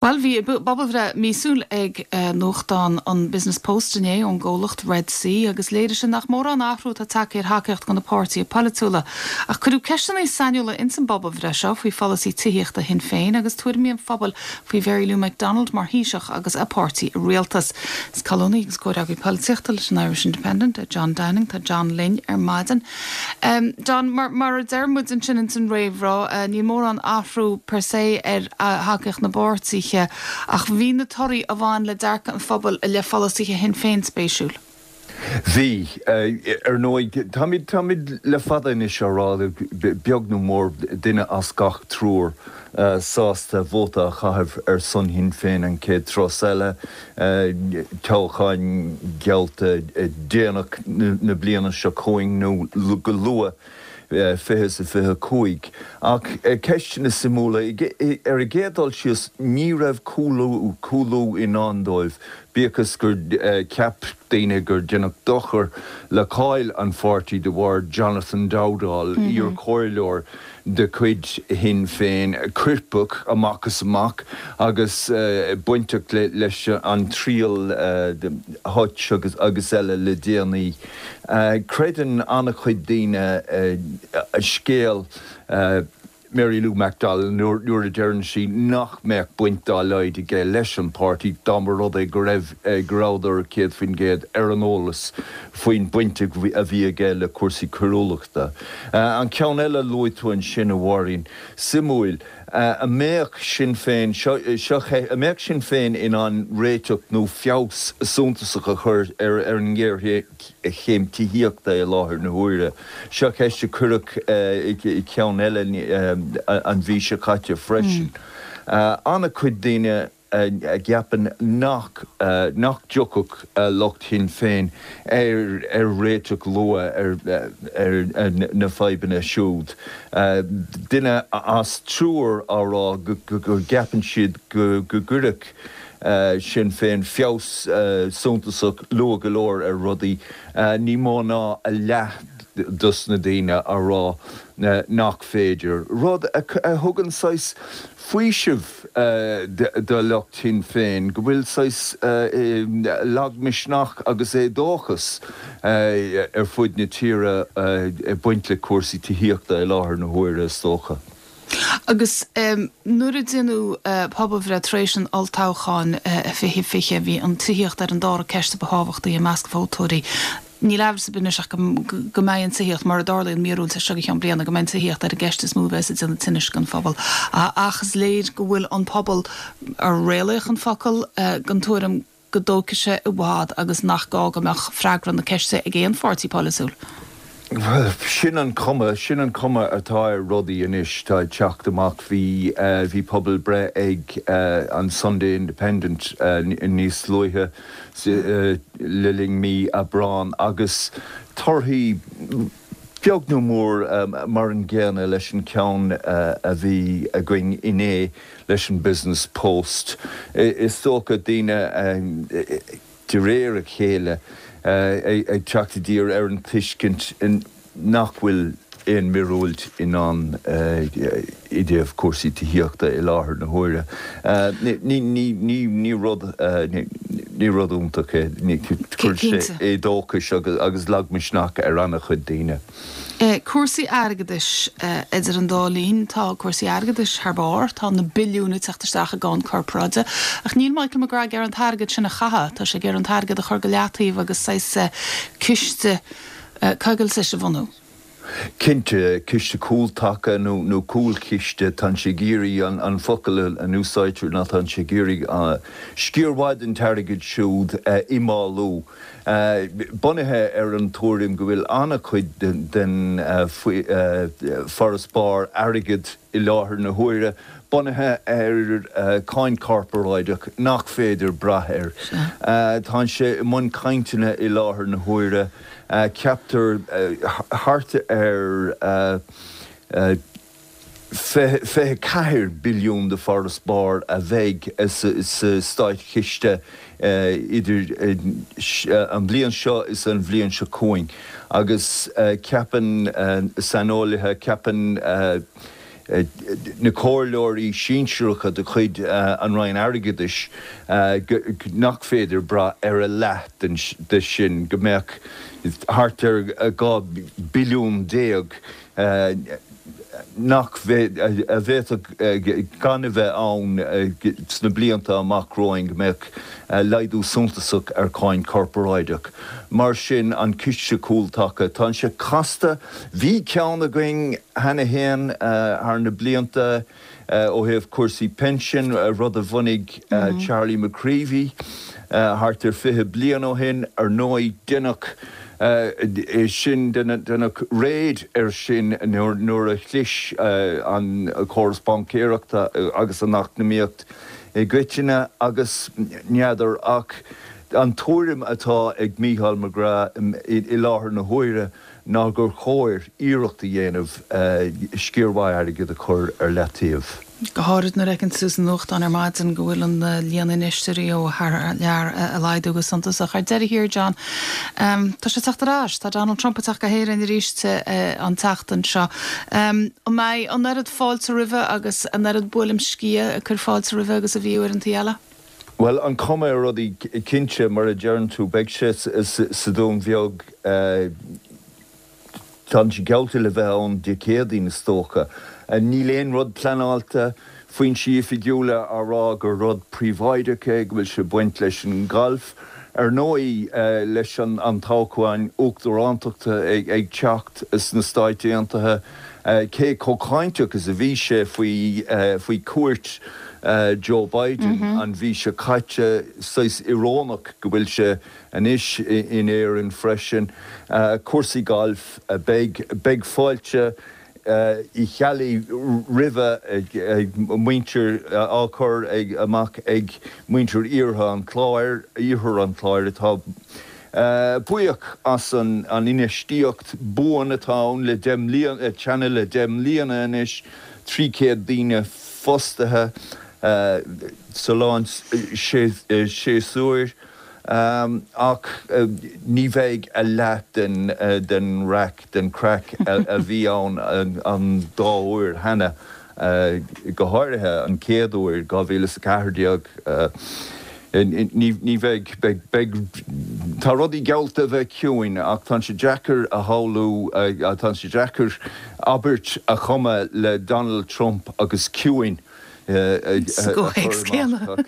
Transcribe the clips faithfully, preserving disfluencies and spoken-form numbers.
Bhuel, bhí pobalbhreith míosúil ag nuachtán an Business Post inné ón gcomhlacht Red C agus léirigh sé nach mórán athrú atá tagtha ar thacaíocht do na páirtithe polaitiúla. Ach cuireadh ceisteanna sainiúla ins an bpobalbhreith seo faoi pholasaí tithíochta Shinn Féin agus tuairimí an phobail faoi Mhary Lou McDonald mar Thaoiseach agus a páirtí i rialtas. Is colúnaí agus comhfhreagraí polaitíochta leis an Irish Independent John Downing. Tá John linn ar maidin. Um, John, mar, mar a deir muid ansin ins an réamhrá, uh, níl mórán athrú per se ar uh, thacaíocht na bpáirtithe ach bhí na torthaí a bhain le dearcadh an phobail le polasaithe Shinn Féin spéisiúil. Bhí ar ndóigh táimid táimid le fada anois á rá beag nó mór duine as gach triúr sásta vóta a chaitheamh ar son Shinn Féin an chéad turas eile, toghcháin geallta déanach na bliana seo chugainn nó go luath fiche sa fiche cúig. Ach ceisteanna suimiúla ar an gcéad dul síos ní raibh cúlú cúlú i ndán dóibh, bíodh gur cheap daoine gur déanadh dochar le cáil an pháirtí de bharr Jonathan Dowdall, mm -hmm. iarchomhairleoir de chuid Shinn Féin coirpeach amach is amach agus uh, bainteach le, leis an triail uh, Hutch agus, agus eile le déanaí. Uh, Creideann an-chuid daoine uh, a scéal uh, Mary Lou McDonald nuair a deireann sí nach mbeadh baint dá laghad aige leis an páirtí dá mba rud é go raibh go rabhadar céad faoin gcéad ar an eolas faoin baint a bhí aige le cúrsaí coiriúlachta. An ceann eile luaigh tú ansin a Mháirín suimiúil. An mbeadh Sinn Féin seo an mbeadh Sinn Féin in ann réiteach nó feabhas suntasach a chur ar ar an ngéarchéim tithíochta i láthair na huaire. Seo ceist a cuireadh i ceann eile an mhí seo caite freisin. An-chuid daoine a gceapann nach nach dtiocfadh lucht Shinn Féin ar ar réiteach luath ar ar na fadhbanna siúd. Duine as triúr á rá go gceapann siad go go gcuirfeadh Sinn Féin feabhas suntasach luath go leor ar rudaí, ní mó ná a leath dos na daoine á rá nach féidir. Rud a thugann saghas faoiseamh do lucht Shinn Féin, go bhfuil saghas lagmhisneach agus éadóchas ar fud na tíre ag baint le cúrsaí tithíochta i láthair na huaire is dócha. Agus nuair a déanadh pobalbhreith tar éis an olltoghcháin fiche fiche, bhí an tithíocht ar an dara ceist ba thábhachtaí i measc vótóirí. Níl amhras ar bith anois ach go mbeidh an tithíocht, mar a dtarlaíonn míorúilt as seo go ceann bliana, go mbeidh an tithíocht ar an gceist is mó a bheas ag déanamh tinnis don phobal. Ach is léir go bhfuil an pobal, ar réalaíoch an focal, den tuairim go dtógfaidh sé i bhfad agus nach gá go mbeadh freagra na ceiste ag aon pháirtí polaitiúil. Bhuel, sin an cuma, sin an cuma atá ar rudaí anois, tá ag teacht amach. Bhí, bhí pobalbhreith ag an Sunday Independent níos luaithe le linn mí Aibreán agus torthaí beag nó mór mar an gcéanna leis an ceann a bhí againn inné leis an Business Post. Is dócha daoine de réir a chéile ag teacht i dtír ar an tuiscint nach bhfuil aon mhíorúilt i ndán i dtaobh cúrsaí tithíochta i láthair na huaire. Ní rud ní rud iontach é. Cuireann sé éadóchas agus lagmhisneach ar an-chuid daoine. Cúrsaí airgeadais. Idir an dá linn, tá cúrsaí airgeadais thar barr, tá na billiúin ag teacht isteach i gcáin corparáide, ach níl Michael McGrath ag iarraidh an t-airgead sin a chaitheamh, tá sé ag iarraidh an t-airgead a chur go leataobh agus saghas ciste coigiltis a bhunú. Cinnte, ciste cúltaca nó nó cúlchiste, tá sé ag iarraidh an focal a n-úsáidtear ná tá sé ag iarraidh sciar mhaith den t-airgead siúd a imfhálú. Bunaithe ar an tuairim go bhfuil an-chuid den farasbarr airgid i láthair na huaire bunaithe ar cháin chorparáideach nach féidir brath air. Tá sé i mbun cainteanna i láthair na huaire. Ceaptar thart ar fiche ceathair billiún de farasbarr a bheidh sa státchiste idir an bhliain seo is an bhliain seo chugainn agus ceapann saineolaithe, ceapann na comhairleoirí sinsearacha de chuid an Roinn Airgeadais nach féidir brath ar a leath de sin, go mbeadh thart ar dhá billiún déag nach a bhféadfadh gan a bheith ann sna blianta amach romhainn, go mbeadh laghdú suntasach ar cháin chorparáideach. Mar sin, an ciste cúltaca, tá sé casta. Bhí ceann againn cheana féin thar na blianta ó thaobh cúrsaí pinsin, rud a bhunaigh Charlie McCreevy thart ar fiche bliain ó shin. Ar ndóigh, deineadh sin, deineadh raid air sin nuair a chlis an córas baincéireachta agus an eacnamaíocht i gcoitinne agus n'fheadar ach an tuairim atá ag Mícheál McGrath i láthair na huaire ná gur chóir iarracht a dhéanamh sciar mhaith airgid a chur ar leataobh. Go háirid nuair a fheiceann tú sa nuachtán ar maidin go bhfuil an líon infheisteoirí ó thar lear ag laghdú go suntasach. Ar deireadh thiar, John, tá sé ag teacht ar ais. Tá Donald Trump ag teacht go hÉirinn arís an tseachtain seo. An mbeidh an oiread fáilte roimhe agus an oiread buaileam sciath ag cur fáilte roimhe agus a bhí uaireanta eile? Bhuel, an chuma ar rudaí, cinnte, mar a deireann tú, beidh sé sa Dún Bheag. Tá sé geallta le bheith ann Dé Céadaoin, is dócha. Níl aon rud pleanáilte, foinsí oifigiúla á rá gur rud príobháideach é, go bhfuil sé ag baint leis an ngalf. Ar ndóigh, leis an toghchán uachtarántachta ag teacht sna Stáit Aontaithe, cé chomh cáinteach is a bhí sé faoi chuairt Joe Biden an mhí seo caite, saghas íorónach go bhfuil sé anois in Éirinn freisin. Cúrsaí gailf, beidh, beidh fáilte Uí Cheallaigh roimhe ag muintir, á cur amach ag muintir Iarthar an Chláir, Iarthar an Chláir atá buíoch as an infheistíocht buan atá ann le deich mbliana, cheana le deich mbliana anois, trí chéad daoine fostaithe sa lán séasúir. Ach ní bheidh a leath den raic, den chraic a bhí ann an dá uair cheana, go háirithe an chéad uair, dhá mhíle is a ceathair déag. Ní bheidh, beidh, beidh, tá rudaí geallta a bheith ciúin ach tá sé deacair a shamhlú, tá sé deacair abairt a chumadh le Donald Trump agus ciúin a Sa chur gcomhthéacs amach. céanna.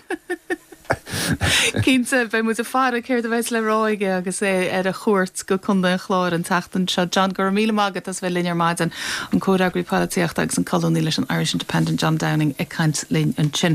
Cinnte, beidh muid ag faire céard a bheas le rá aige agus é ar a chuairt go Contae an Chláir an tseachtain seo. John, go raibh míle maith agat as bheith linn ar maidin, an comhfhreagraí polaitíochta agus an colúnaí leis an Irish Independent, John Downing, ag caint linn ansin.